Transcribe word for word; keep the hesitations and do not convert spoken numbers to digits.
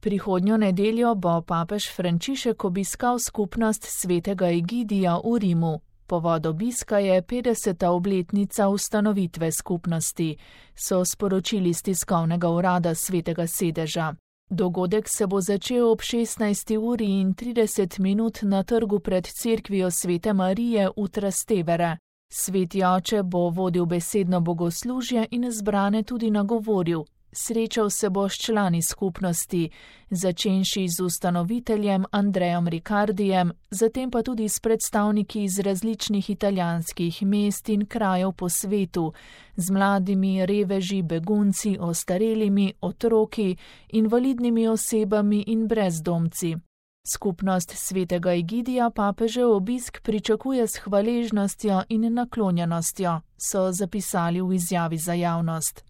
Prihodnjo nedeljo bo papež Frančišek obiskal skupnost svetega Egidija v Rimu. Povod obiska je petdeseta obletnica ustanovitve skupnosti, so sporočili s tiskovnega urada svetega sedeža. Dogodek se bo začel ob šestnajsti uri in trideset minut na trgu pred cerkvijo Svete Marije v Trastevere. Sveti oče bo vodil besedno bogoslužje in zbrane tudi nagovoril. Srečal se bo s člani skupnosti, začenši z ustanoviteljem Andrejem Ricardijem, zatem pa tudi s predstavniki iz različnih italijanskih mest in krajev po svetu, z mladimi, reveži, begunci, ostarelimi, otroki, invalidnimi osebami in brezdomci. Skupnost svetega Egidija papežev obisk pričakuje s hvaležnostjo in naklonjenostjo, so zapisali v izjavi za javnost.